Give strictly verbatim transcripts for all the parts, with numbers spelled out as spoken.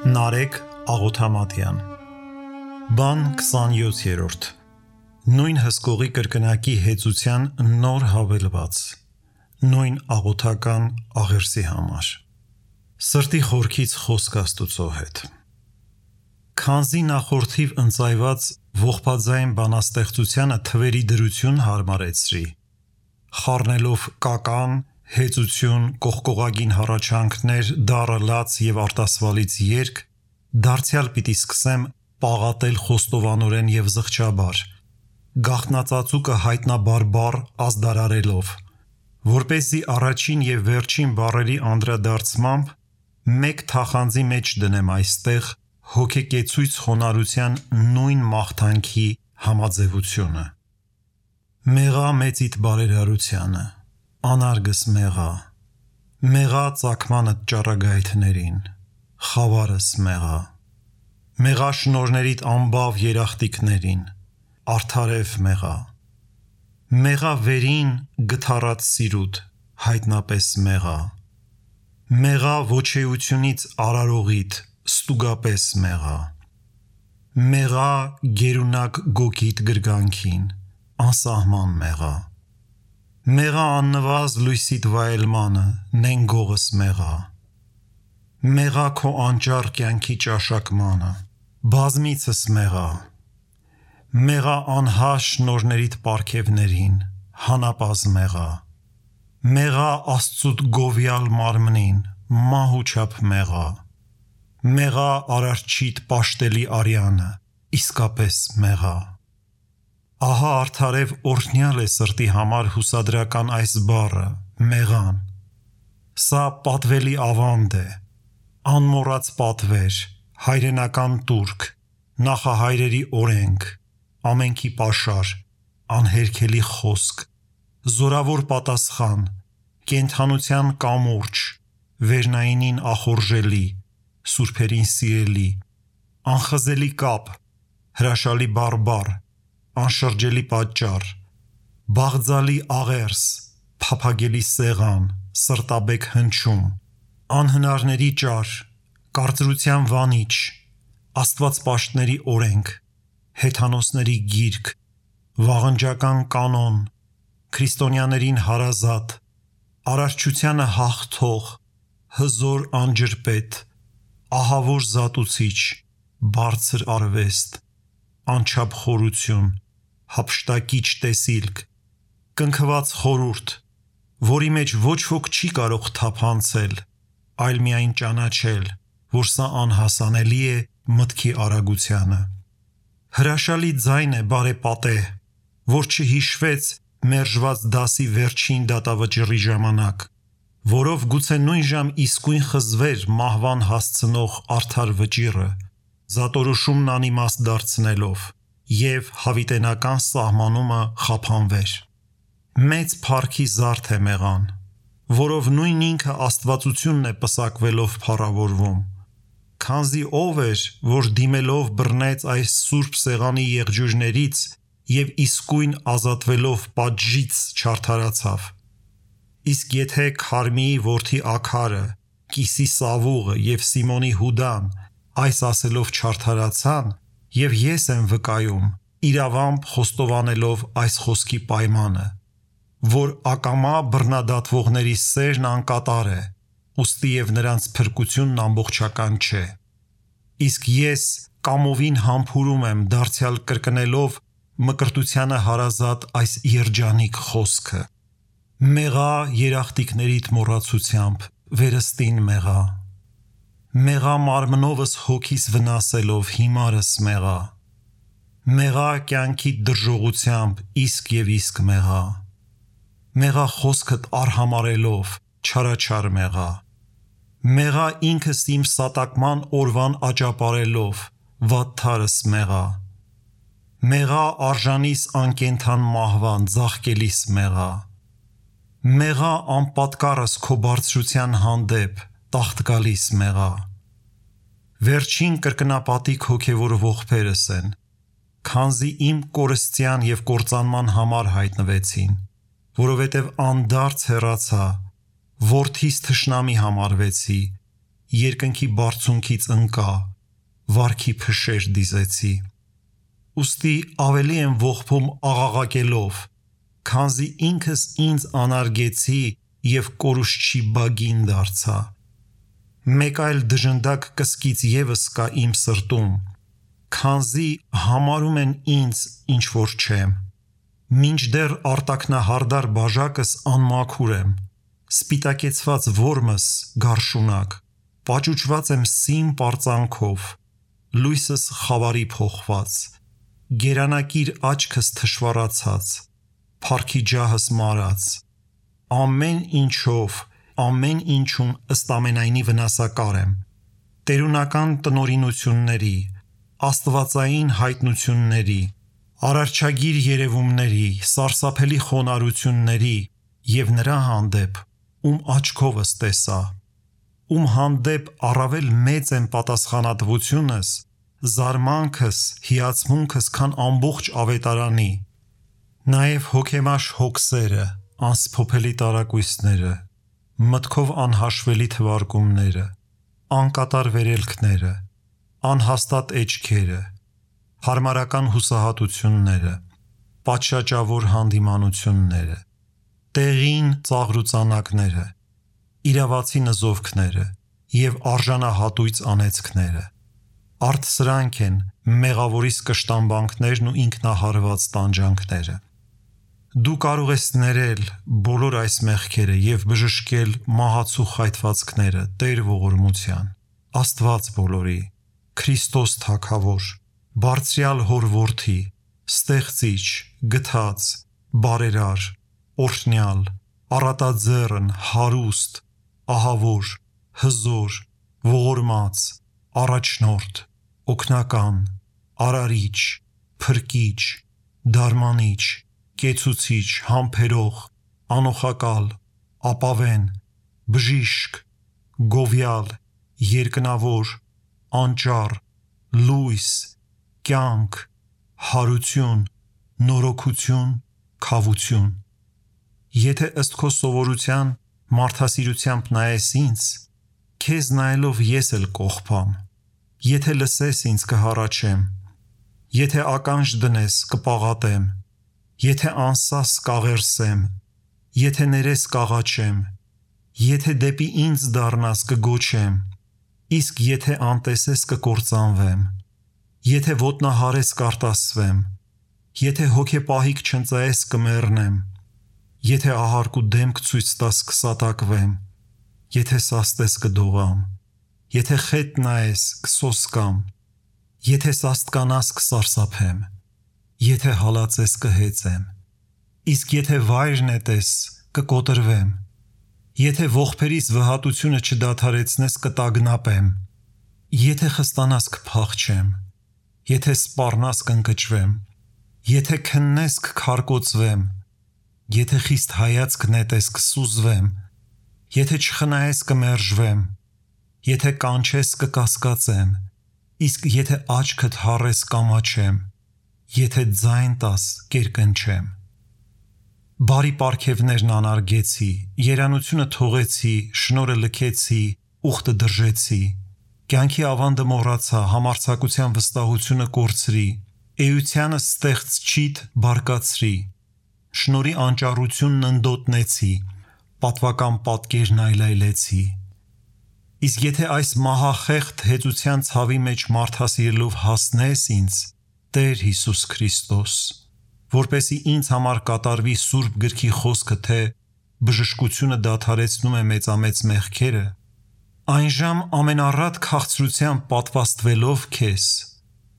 Նարեկ Աղոթամատյան Բան քսանյոթերորդ Նույն հսկողի կրկնակի հեծության նոր հավելված Նույն աղոթական աղերսի համար Սրտի խորքից խոսք Աստուծո հետ Քանզի նախորդիվ ընծայված ողբաձայն բանաստեղծությանը թվերի դրություն հարմարեցրի խառնելով կական հեծություն, կողկողագին հառաչանքներ, դառը լաց և արտասվալից երգ, դարձյալ պիտի սկսեմ պաղատել խոստովանորեն և զղջաբար, գաղտնածածուկը հայտնաբարբար ազդարարելով, որպեսզի առաջին և վերջին բառերի անդրադարձմամբ մեկ թախանձի մեջ դնեմ այստեղ հոգեկեցույց խոնարհության նույն մաղթանքի համաձևությունը։ Մեղա մեծիդ բարերարությանը, անարգս մեղա, մեղա ծագմանդ ճառագայթներին, խավարս մեղա, մեղա շնորներիդ անբավ երախտիկներին, արդարև մեղա, մեղա վերին գթառած սիրուդ, հայտնապես մեղա, մեղա ոչեությունից արարողիդ, ստուգապես մեղա, մեղա գերունակ գոգիդ գրգանքին, անսահման մեղա, մեղա աննվազ լույսիդ վայելմանը, նենգողս մեղա, մեղա քո անճառ կյանքի ճաշակմանը, բազմիցս մեղա, մեղա անհաշ շնորներիդ պարգևներին, հանապազ մեղա, մեղա Աստծուդ գովյալ մարմնին, մահուչափ մեղա, մեղա արարչիդ պաշտելի արյանը, իսկապես մեղա, ահա արդարև օրհնյալ է սրտի համար հուսադրական այս բառը, մեղան, սա պատվելի ավանդ է, անմոռաց պատվեր, հայրենական տուրք, նախահայրերի օրենք, ամենքի պաշար, անհերքելի խոսք, զորավոր պատասխան, կենդանության կամուրջ, վերնայինին ախորժելի, սուրբերին սիրելի, անխզելի կապ, հրաշալի բարբառ, անշրջելի պատճառ, բաղձալի աղերս, փափագելի սեղան, սրտաբեկ հնչում, անհնարների ճար, կարծրության վանիչ, աստվածպաշտների օրենք, հեթանոսների գիրք, վաղնջական կանոն, քրիստոնյաներին հարազատ, արարչությանը հաղթող, հզոր անջրպետ, ահավոր զատուցիչ, բարձր արվեստ, անչափ խորություն, հափշտակիչ տեսիլք, կնքված խորհուրդ, որի մեջ ոչ ոք չի կարող թափանցել, այլ միայն ճանաչել, որ սա անհասանելի է մտքի արագությանը։ Հրաշալի ձայն է բարեպատեհ, որ չհիշվեց մերժված դասի վերջին դատավճռի ժամանակ, որով գուցե նույն ժամ իսկույն խզվեր մահվան հասցնող արդար վճիռը, զատորոշումն անիմաստ դարձնելով և հավիտենական սահմանումը խափանվեր։ Մեծ փառքի զարդ է մեղան, որով նույն ինքը աստվածությունն է պսակվելով փառավորվում, քանզի ով էր, որ դիմելով բռնեց այս սուրբ սեղանի եղջյուրներից և իսկույն ազատվելով պատժից չարդարացավ։ Իսկ եթե Քարմիի որդի Աքարը, Կիսի Սավուղը և Սիմոնի Հուդան այս ասելով չարդարացան, և ես եմ վկայում, իրավամբ խոստովանելով այս խոսքի պայմանը, որ ակամա բռնադատվողների սերն անկատար է, ուստի և նրանց փրկությունն ամբողջական չէ։ Իսկ ես կամովին համբուրում եմ դարձյալ կրկնելով մկրտությանը հարազատ այս երջանիկ խոսքը. մեղա երախտիկներիդ մոռացությամբ, վերստին մեղա, մեղա մարմնովս հոգիս վնասելով հիմարս մեղա, մեղա կյանքիդ դրժողությամբ իսկ և իսկ մեղա, մեղա խոսքդ արհամարելով չարաչար մեղա, մեղա ինքս իմ սատակման օրվան աճապարելով վատթարս մեղա, մեղա արժանիս անկենդան մահվան ձաղկելիս մեղա, մեղա անպատկառս քո բարձրության հանդեպ տաղտկալիս մեղա, վերջին կրկնապատիկ հոգևոր ողբերս են, քանզի իմ կորստյան և կործանման համար հայտնվեցին, որովհետև անդարձ հեռացա, որդիս թշնամի համարվեցի երկնքի բարձունքից ընկա, վարքի փշեր դիզեցի։ Ուստի ավելի եմ ողբում աղաղակելով, քանզի ինքս ինձ անարգեցի և կորուստչի բագին դարձա։ Մեկ այլ դժնդակ կսկից ևս կա իմ սրտում, քանզի համարում են ինձ ինչ որ չեմ։ Մինչդեռ արտաքնահարդար բաժակս անմաքուր եմ, սպիտակեցված որմս գարշունակ, պաճուճված եմ սիմ պարծանքով, լույսս խավարի փոխված, գերանակիր աչքս թշվառացած, փառքի ջահս մարած, ամեն ինչով, ամեն ինչում ըստ ամենայնի վնասակար եմ, տերունական տնօրինությունների, աստվածային հայտնությունների, արարչագիր երևումների, սարսափելի խոնարհությունների և նրա հանդեպ, ում աչքովս տեսա, ում հանդեպ առավել մեծ եմ պատասխանատվությունս, զարմանքս, հիացմունքս, քան ամբողջ ավետարանի, նաև հոգեմաշ հոգսերը, անսփոփելի տարակույսները, մտքով անհաշվելի թվարկումները, անկատար վերելքները, անհաստատ էջքերը, հարմարական հուսահատությունները, պատշաճավոր հանդիմանությունները, տեղին ծաղրուծանակները, իրավացի նզովքները և արժանահատույց անեծքները, արդ սրանք են մեղավորիս կշտամբանքներն ու ինքնահարված տանջանքները։ Դու կարող ես ներել բոլոր այս մեղքերը և բժշկել մահացու խայթվածքները Տեր ողորմության, Աստված բոլորի, Քրիստոս Թագավոր, Բարձրյալ Հոր Որդի, Ստեղծիչ, Գթած, Բարերար, Օրհնյալ, Առատաձեռն, Հարուստ, Ահավոր, Հզոր, Ողորմած, Առաջնորդ, Օգնական, Արարիչ, Փրկիչ, Դարմանիչ, Կեցուցիչ, Համբերող, Անոխակալ, Ապավեն, Բժիշկ, Գովյալ, Երկնավոր, Անճառ, Լույս, Կյանք, Հարություն, Նորոգություն, Քավություն։ Եթե ըստ քո սովորության մարդասիրությամբ նայես ինձ, քեզ նայելով ես էլ կողբամ, եթե լսես ինձ կհառաչեմ, եթե ականջ դնես կպաղատեմ, եթե անսաս կաղերսեմ, եթե ներես կաղաչեմ, եթե դեպի ինձ դառնաս կգոչեմ, իսկ եթե անտեսես կկործանվեմ, եթե ոտնահարես կարտասվեմ, եթե հոգեպահիկ չընծայես կմեռնեմ, եթե ահարկ ու դեմք ցույց տաս կսատակվեմ, եթե սաստես կդողամ, եթե խետ նայես կսոսկամ, եթե սաստկանաս կսարսափեմ, եթե հալածես կհեծեմ, իսկ եթե վայր նետես կկոտրվեմ, եթե ողբերիս վհատությունը չդադարեցնես կտագնապեմ, եթե խստանաս կփախչեմ, եթե սպառնաս կընկճվեմ, եթե քննես կքարկոծվեմ, եթե խիստ հայացք նետես կսուզվեմ, եթե չխնայես կմերժվեմ, եթե կանչես կկասկածեմ, իսկ եթե աչքդ հառես կամաչեմ, եթե ձայն տաս կերկնչեմ։ Բարի պարգևներն անարգեցի, երանությունը թողեցի, շնորհը լքեցի, ուխտը դրժեցի, կյանքի ավանդը մոռացա, համարձակության վստահությունը կորցրի, էությանը ստեղծչիդ բարկացրի, շնորհի անճառությունն ընդոտնեցի, պատվական պատկերն այլայլեցի։ Իսկ եթե այս մահախեղդ հեծության ցավի մեջ մարդասիրելով հասնես ինձ, Տեր Հիսուս Քրիստոս, որպեսզի ինձ համար կատարվի Սուրբ Գրքի խոսքը, թե բժշկությունը դադարեցնում է մեծամեծ մեղքերը, այնժամ ամենառատ քաղցրությամբ պատվաստվելով քեզ,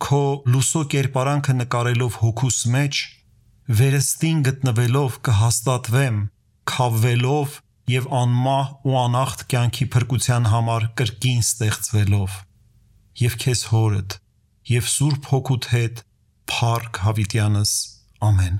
քո լուսո կերպարանքը նկարելով հոգուս մեջ, վերստին գտնվելով կհաստատվեմ, քավվելով և անմահ ու անախտ կյանքի փրկության համար կրկին ստեղծվելով, և քեզ հորդ, և Սուրբ Հոգուդ հետ փառք հավիտյանս, ամեն։